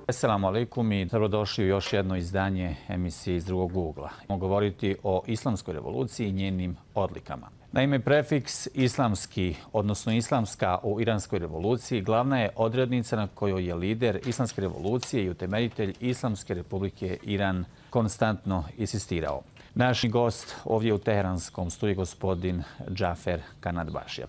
Assalamu alaikum i dobrodošli u još jedno izdanje emisije iz drugog ugla. Možemo govoriti o islamskoj revoluciji i njenim odlikama. Naime, prefiks islamski, odnosno islamska u iranskoj revoluciji, glavna je odrednica na kojoj je lider islamske revolucije i utemeljitelj Islamske republike Iran konstantno insistirao. Naš gost ovdje u teheranskom studiju gospodin Džafer Kanadbašija.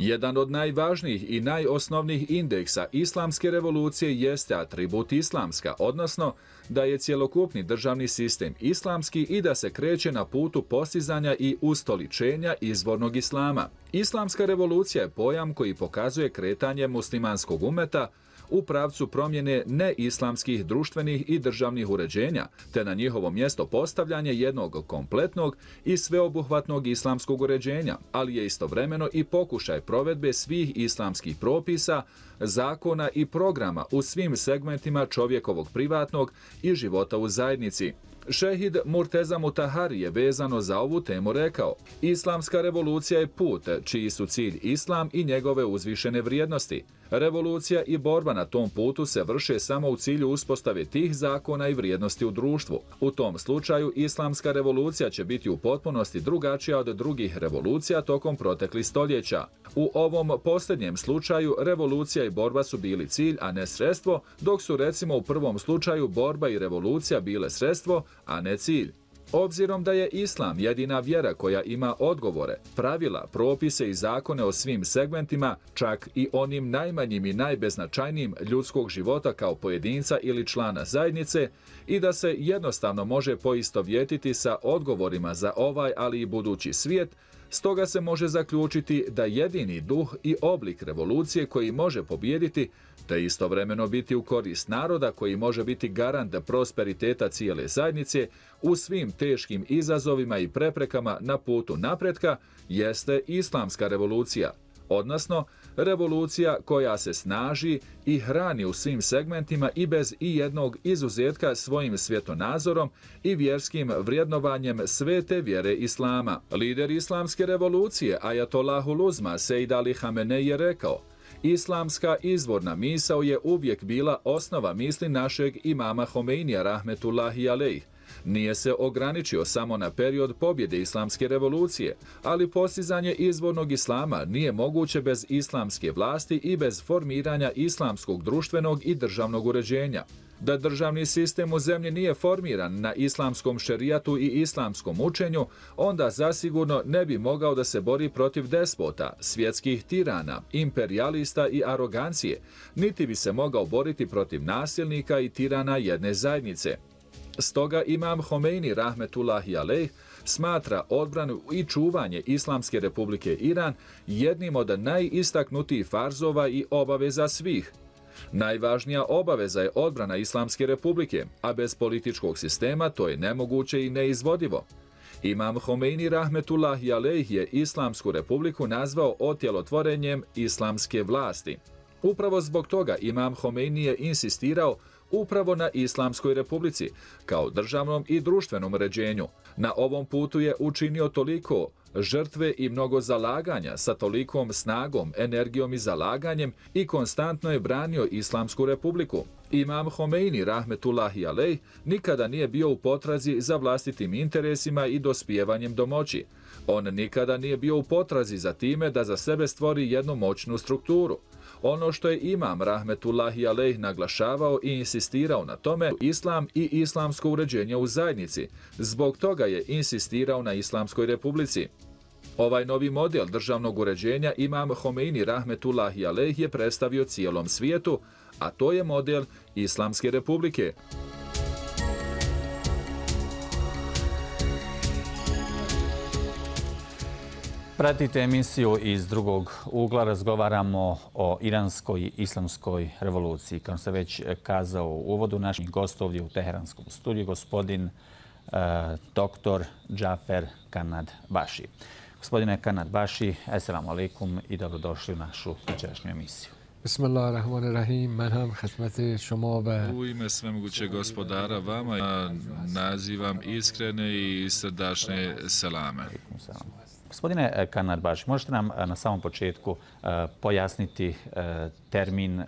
Jedan od najvažnijih i najosnovnijih indeksa islamske revolucije jeste atribut islamska, odnosno da je cjelokupni državni sistem islamski i da se kreće na putu postizanja i ustoličenja izvornog islama. Islamska revolucija je pojam koji pokazuje kretanje muslimanskog umeta u pravcu promjene neislamskih društvenih i državnih uređenja, te na njihovo mjesto postavljanje jednog kompletnog i sveobuhvatnog islamskog uređenja, ali je istovremeno i pokušaj provedbe svih islamskih propisa, zakona i programa u svim segmentima čovjekovog privatnog i života u zajednici. Šehid Murteza Mutahari je vezano za ovu temu rekao: Islamska revolucija je put čiji su cilj islam i njegove uzvišene vrijednosti. Revolucija i borba na tom putu se vrše samo u cilju uspostave tih zakona i vrijednosti u društvu. U tom slučaju islamska revolucija će biti u potpunosti drugačija od drugih revolucija tokom proteklih stoljeća. U ovom posljednjem slučaju revolucija i borba su bili cilj, a ne sredstvo, dok su recimo u prvom slučaju borba i revolucija bile sredstvo, a ne cilj. Obzirom da je islam jedina vjera koja ima odgovore, pravila, propise i zakone o svim segmentima, čak i onim najmanjim i najbeznačajnijim ljudskog života kao pojedinca ili člana zajednice, i da se jednostavno može poistovjetiti sa odgovorima za ovaj, ali i budući svijet, stoga se može zaključiti da jedini duh i oblik revolucije koji može pobijediti, te istovremeno biti u korist naroda koji može biti garant prosperiteta cijele zajednice u svim teškim izazovima i preprekama na putu napretka, jeste islamska revolucija, odnosno revolucija koja se snaži i hrani u svim segmentima i bez ijednog izuzetka svojim svjetonazorom i vjerskim vrijednovanjem svete vjere islama. Lider islamske revolucije, Ajatollahul Uzma Sejd Ali Hamenej, je rekao: Islamska izvorna misao je uvijek bila osnova misli našeg imama Homeinija rahmetullahi alejh. Nije se ograničio samo na period pobjede islamske revolucije, ali postizanje izvornog islama nije moguće bez islamske vlasti i bez formiranja islamskog društvenog i državnog uređenja. Da državni sistem u zemlji nije formiran na islamskom šerijatu i islamskom učenju, onda zasigurno ne bi mogao da se bori protiv despota, svjetskih tirana, imperijalista i arogancije, niti bi se mogao boriti protiv nasilnika i tirana jedne zajednice. Stoga imam Homeini rahmetullahi alejh smatra odbranu i čuvanje Islamske republike Iran jednim od najistaknutijih farzova i obaveza svih. Najvažnija obaveza je odbrana Islamske republike, a bez političkog sistema to je nemoguće i neizvodivo. Imam Homeini rahmetullahi alejh je Islamsku republiku nazvao otjelotvorenjem islamske vlasti. Upravo zbog toga imam Homeini je insistirao upravo na Islamskoj republici, kao državnom i društvenom uređenju. Na ovom putu je učinio toliko žrtve i mnogo zalaganja sa tolikom snagom, energijom i zalaganjem i konstantno je branio Islamsku republiku. Imam Homeini rahmetullahi alejh nikada nije bio u potrazi za vlastitim interesima i dospijevanjem do moći. On nikada nije bio u potrazi za time da za sebe stvori jednu moćnu strukturu. Ono što je imam rahmetullahi alejh naglašavao i insistirao na tome, islam i islamsko uređenje u zajednici. Zbog toga je insistirao na Islamskoj republici. Ovaj novi model državnog uređenja imam Homeini rahmetullahi alejh je predstavio cijelom svijetu, a to je model Islamske republike. Pratite emisiju iz drugog ugla, razgovaramo o iranskoj islamskoj revoluciji. Kao sam već kazao u uvodu, naš gost ovdje u teheranskom studiju, gospodin dr. Džafer Kanadbaši. Gospodine Kanadbaši, assalamu alaikum i dobrodošli u našu večerašnju emisiju. Bismillahirrahmanirrahim. Man ham khidmat shoma va u ime svemogućeg gospodara vama nazivam iskrene i srdačne selame. Gospodine Kanarbaš, možete nam na samom početku pojasniti termin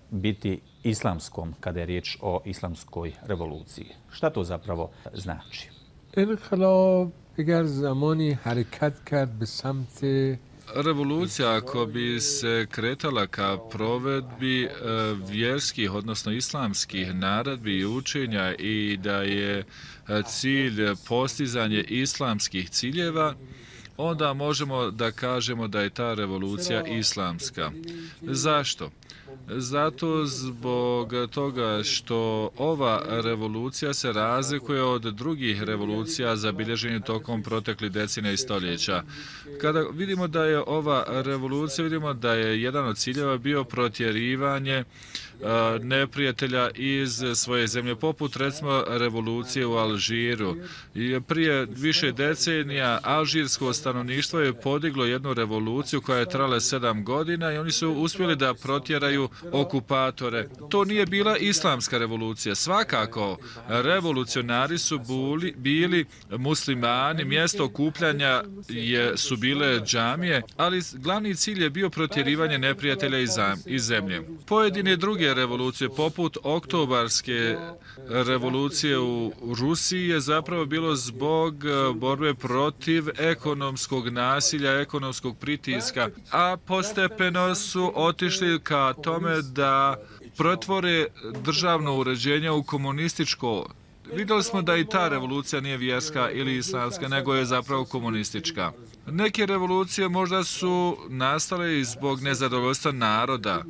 biti islamskom kada je riječ o islamskoj revoluciji? Šta to zapravo znači? انقلاب اگر زمانی حرکت کرد به سمت Revolucija, ako bi se kretala ka provedbi vjerskih, odnosno islamskih naredbi i učenja i da je cilj postizanje islamskih ciljeva, onda možemo da kažemo da je ta revolucija islamska. Zašto? Zato zbog toga što ova revolucija se razlikuje od drugih revolucija zabilježenih tokom proteklih decenija i stoljeća. Kada vidimo da je ova revolucija, vidimo da je jedan od ciljeva bio protjerivanje neprijatelja iz svoje zemlje, poput recimo revolucije u Alžiru. Prije više decenija alžirsko stanovništvo je podiglo jednu revoluciju koja je trajala 7 godina i oni su uspjeli da protjeraju okupatore. To nije bila islamska revolucija. Svakako, revolucionari su bili muslimani, mjesto okupljanja su bile džamije, ali glavni cilj je bio protjerivanje neprijatelja iz zemlje. Pojedine druge revolucije, poput oktobarske revolucije u Rusiji, je zapravo bilo zbog borbe protiv ekonomskog nasilja, ekonomskog pritiska, a postepeno su otišli ka tome da pretvore državno uređenje u komunističko. Vidjeli smo da i ta revolucija nije vjerska ili islamska, nego je zapravo komunistička. Neke revolucije možda su nastale i zbog nezadovoljstva naroda.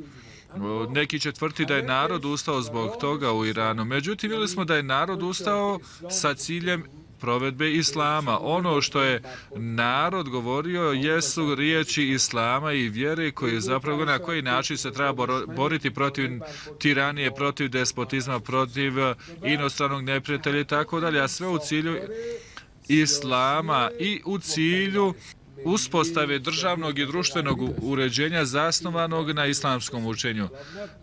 Neki će tvrditi da je narod ustao zbog toga u Iranu. Međutim, vidjeli smo da je narod ustao sa ciljem provedbe islama. Ono što je narod govorio jesu riječi islama i vjere koji zapravo na koji način se treba boriti protiv tiranije, protiv despotizma, protiv inostranog neprijatelja i tako dalje, a sve u cilju islama i u cilju uspostave državnog i društvenog uređenja zasnovanog na islamskom učenju.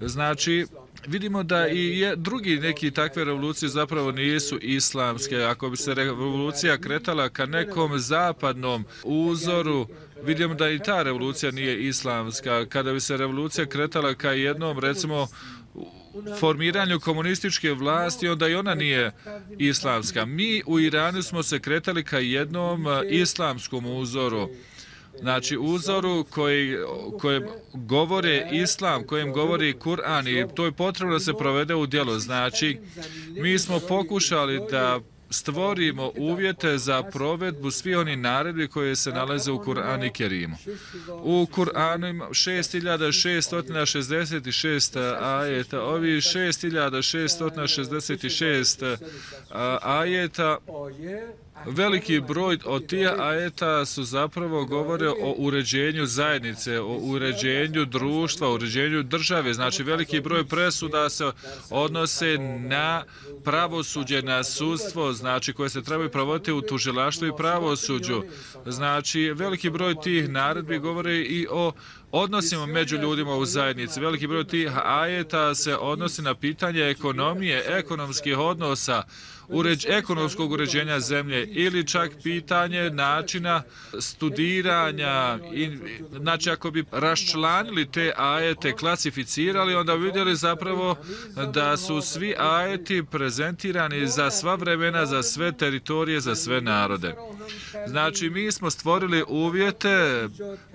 Znači, vidimo da i drugi neki takve revolucije zapravo nisu islamske. Ako bi se revolucija kretala ka nekom zapadnom uzoru, vidimo da i ta revolucija nije islamska. Kada bi se revolucija kretala ka jednom, recimo, formiranju komunističke vlasti, onda i ona nije islamska. Mi u Iranu smo se kretali ka jednom islamskom uzoru. Znači, uzoru kojem govore islam, kojem govori Kur'an i to je potrebno da se provede u djelo. Znači, mi smo pokušali da stvorimo uvjete za provedbu svih onih naredbi koje se nalaze u Kur'anu i Kerimu. U Kur'anu ima 6666 ajeta. Ovi 6666 ajeta, veliki broj od tih ajeta su zapravo govore o uređenju zajednice, o uređenju društva, o uređenju države. Znači, veliki broj presuda se odnose na pravosuđe, na sudstvo, znači koje se trebaju provoditi u tužilaštvu i pravosuđu. Znači, veliki broj tih naredbi govore i o odnosima među ljudima u zajednici. Veliki broj tih ajeta se odnosi na pitanje ekonomije, ekonomskih odnosa, ekonomskog uređenja zemlje ili čak pitanje načina studiranja. Znači, ako bi raščlanili te ajete, klasificirali, onda bi vidjeli zapravo da su svi ajeti prezentirani za sva vremena, za sve teritorije, za sve narode. Znači, mi smo stvorili uvjete,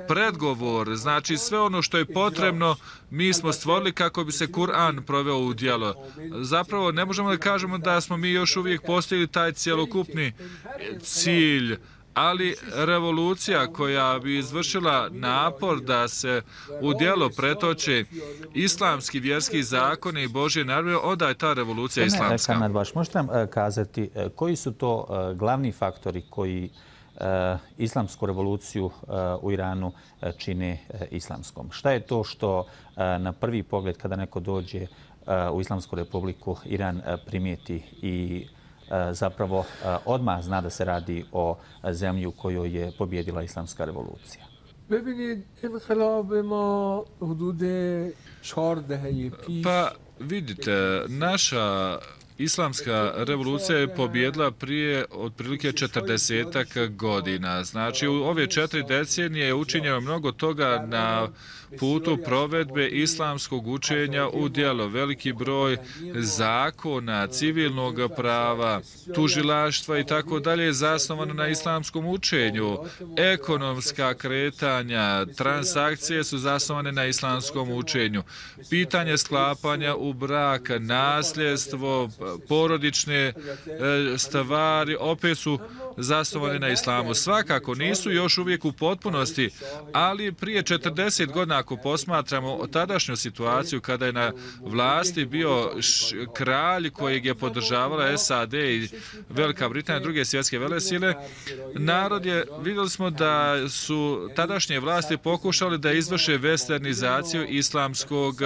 predgovor, znači sve ono što je potrebno, mi smo stvorili kako bi se Kur'an proveo u djelo. Zapravo, ne možemo da kažemo da smo mi još uvijek postigli taj cjelokupni cilj, ali revolucija koja bi izvršila napor da se u djelo pretoče islamski vjerski zakoni i Božje naredbe, onda je ta revolucija islamska. Kanarbaš, možete nam kazati koji su to glavni faktori koji islamsku revoluciju u Iranu čine islamskom? Šta je to što na prvi pogled kada neko dođe u Islamsku republiku Iran primijeti i zapravo odmah zna da se radi o zemlji u kojoj je pobjedila islamska revolucija? Pa vidite, naša Islamska revolucija je pobjedila prije otprilike 40 godina. Znači, u ove 4 decenije je učinjeno mnogo toga na putu provedbe islamskog učenja u djelo. Veliki broj zakona, civilnog prava, tužilaštva i tako dalje je zasnovano na islamskom učenju. Ekonomska kretanja, transakcije su zasnovane na islamskom učenju. Pitanje sklapanja u brak, nasljedstvo, porodične stvari opet su zasnovane na islamu. Svakako nisu još uvijek u potpunosti, ali prije 40 godina ako posmatramo tadašnju situaciju kada je na vlasti bio kralj kojeg je podržavala SAD i Velika Britanija, druge svjetske velesile, narod je, vidjeli smo da su tadašnje vlasti pokušali da izvrše westernizaciju islamskog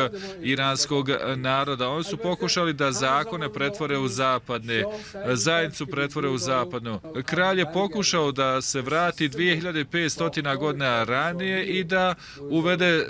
iranskog naroda. Oni su pokušali da zakone pretvore u zapadne, zajednicu pretvore u zapadnu. Kralj je pokušao da se vrati 2500 godina ranije i da uvede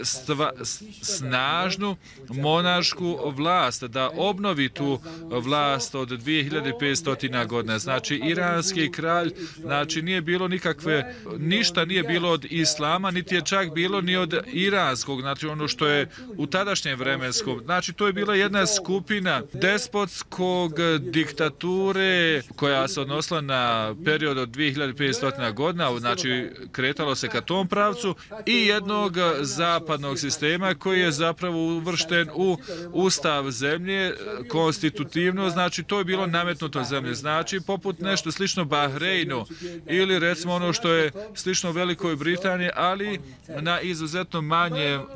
snažnu monašku vlast, da obnovi tu vlast od 2500 godina. Znači, iranski kralj, znači nije bilo nikakve, ništa nije bilo od islama, niti je čak bilo ni od iranskog, znači ono što je u tadašnjem vremenskom. Znači, to je bila jedna skupina despotskog diktature koja se odnosila na period od 2500 godina, znači kretalo se ka tom pravcu, i jednog zapadnog sistema koji je zapravo uvršten u ustav zemlje, konstitutivno, znači to je bilo nametnuto zemlje, znači poput nešto slično Bahreinu ili recimo ono što je slično Velikoj Britaniji, ali na izuzetno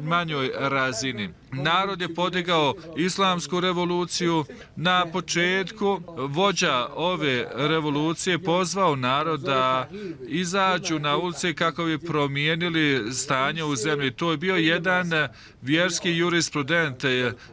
manjoj razini. Narod je podigao islamsku revoluciju. Na početku vođa ove revolucije pozvao narod da izađu na ulice kako bi promijenili stanje u zemlji. To je bio jedan vjerski jurisprudent,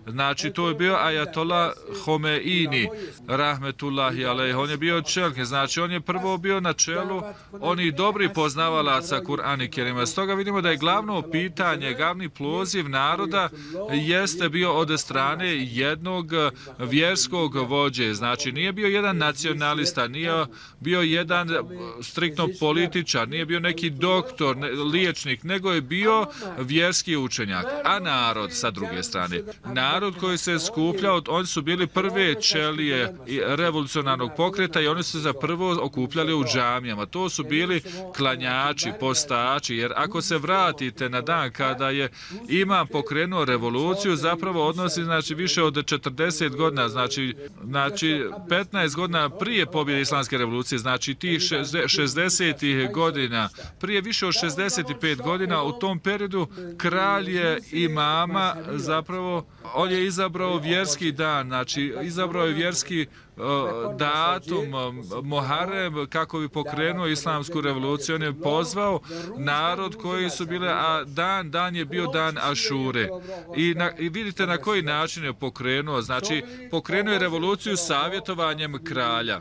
znači to je bio Ajatola Homeini, rahmetullahi alejh. On je bio čelnik, znači on je prvo bio na čelu onih dobrih poznavalaca Kur'ana Kerima. Stoga vidimo da je glavno pitanje, glavni poziv naroda jeste bio od strane jednog vjerskog vođe. Znači nije bio jedan nacionalista, nije bio jedan striktno političar, nije bio neki doktor, liječnik, nego je bio vjerski učenjak. A narod sa druge strane, narod koji se skupljao, oni su bili prve čelije revolucionarnog pokreta i oni su se prvo okupljali u džamijama. To su bili klanjači, postači, jer ako se vratite na dan kada je imam pokrenuo revoluciju, zapravo odnosi znači više od 40 godina, znači 15 godina prije pobjede islamske revolucije, znači tih 60. godina, prije više od 65 godina, u tom periodu kralj je imama, zapravo on je izabrao vjerski dan, znači izabrao je vjerski datum Muharrem kako bi pokrenuo islamsku revoluciju. On je pozvao narod koji su bile, a dan je bio dan Ašure. I vidite na koji način je pokrenuo, znači pokrenuo je revoluciju savjetovanjem kralja.